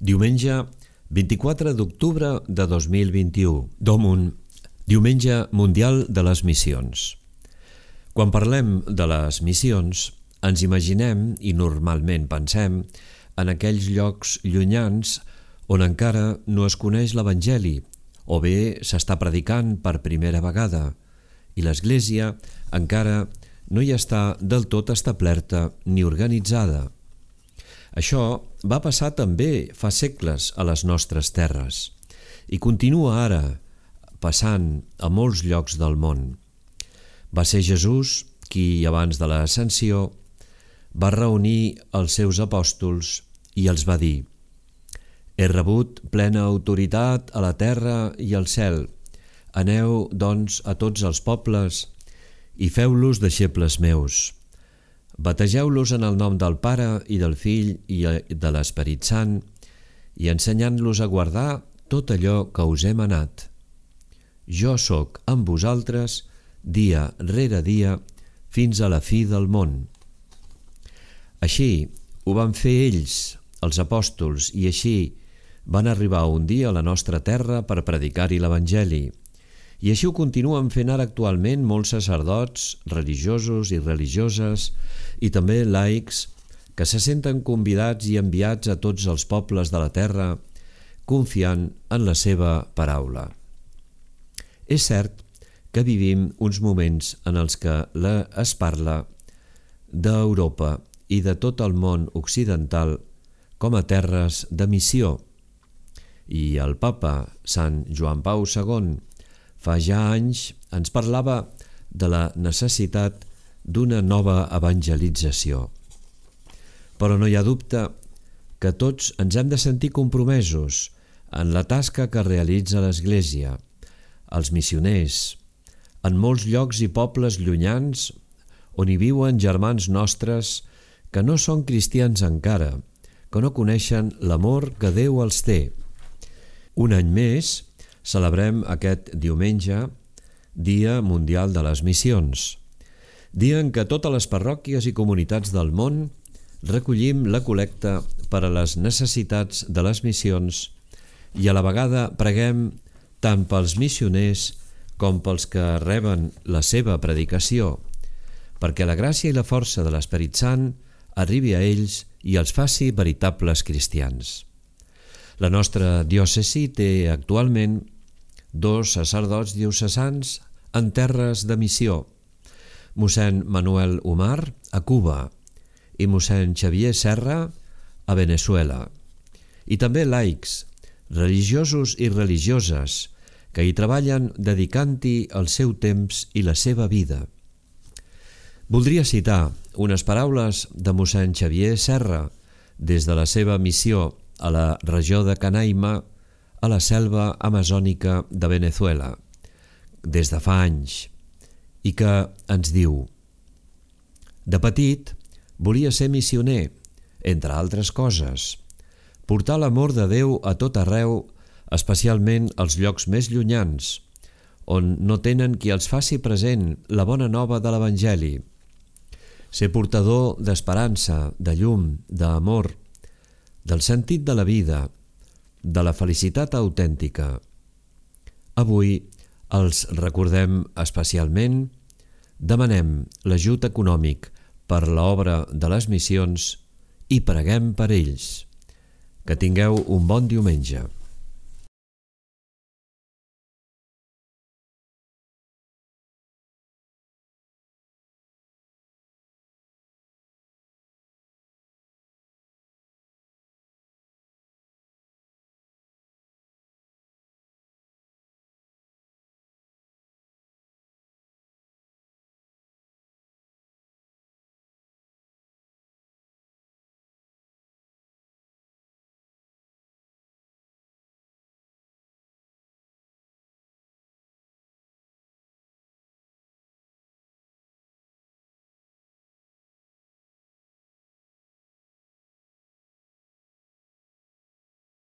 Diumenge 24 d'octubre de 2021. Domum, Diumenge Mundial de les Missions. Quan parlem de les missions, ens imaginem i normalment pensem en aquells llocs llunyans on encara no es coneix l'Evangeli o bé s'està predicant per primera vegada i l'Església encara no hi està del tot establerta ni organitzada. Això va passar també fa segles a les nostres terres i continua ara passant a molts llocs del món. Va ser Jesús qui, abans de l'ascensió, va reunir els seus apòstols i els va dir: «He rebut plena autoritat a la terra i al cel. Aneu, doncs, a tots els pobles i feu-los deixebles meus. Bategeu-los en el nom del Pare i del Fill i de l'Esperit Sant i ensenyant-los a guardar tot allò que us he manat. Jo sóc amb vosaltres dia rere dia fins a la fi del món». Així ho van fer ells, els apòstols, i així van arribar un dia a la nostra terra per predicar-hi l'Evangeli. I així ho continuen fent ara actualment molts sacerdots, religiosos i religioses i també laics que se senten convidats i enviats a tots els pobles de la terra confiant en la seva paraula. És cert que vivim uns moments en els que es parla d'Europa i de tot el món occidental com a terres de missió. I el papa Sant Joan Pau II fa ja anys ens parlava de la necessitat d'una nova evangelització. Però no hi ha dubte que tots ens hem de sentir compromesos en la tasca que realitza l'Església, els missioners, en molts llocs i pobles llunyans on hi viuen germans nostres que no són cristians encara, que no coneixen l'amor que Déu els té. Un any més celebrem aquest diumenge, Dia Mundial de les Missions, dia en què totes les parròquies i comunitats del món recollim la col·lecta per a les necessitats de les missions i a la vegada preguem tant pels missioners com pels que reben la seva predicació, perquè la gràcia i la força de l'Esperit Sant arribi a ells i els faci veritables cristians. La nostra diòcesi té actualment 2 sacerdots diocesans en terres de missió, mossèn Manuel Umar a Cuba i mossèn Xavier Serra a Veneçuela, i també laics, religiosos i religioses que hi treballen dedicant-hi el seu temps i la seva vida. Voldria citar unes paraules de mossèn Xavier Serra des de la seva missió a la regió de Canaima, a la selva amazònica de Veneçuela, des de fa anys, i que ens diu: «De petit volia ser missioner, entre altres coses, portar l'amor de Déu a tot arreu, especialment als llocs més llunyans, on no tenen qui els faci present la bona nova de l'Evangeli. Ser portador d'esperança, de llum, d'amor, del sentit de la vida, de la felicitat autèntica. Avui els recordem especialment, demanem l'ajut econòmic per l'obra de les missions i preguem per ells. Que tingueu un bon diumenge».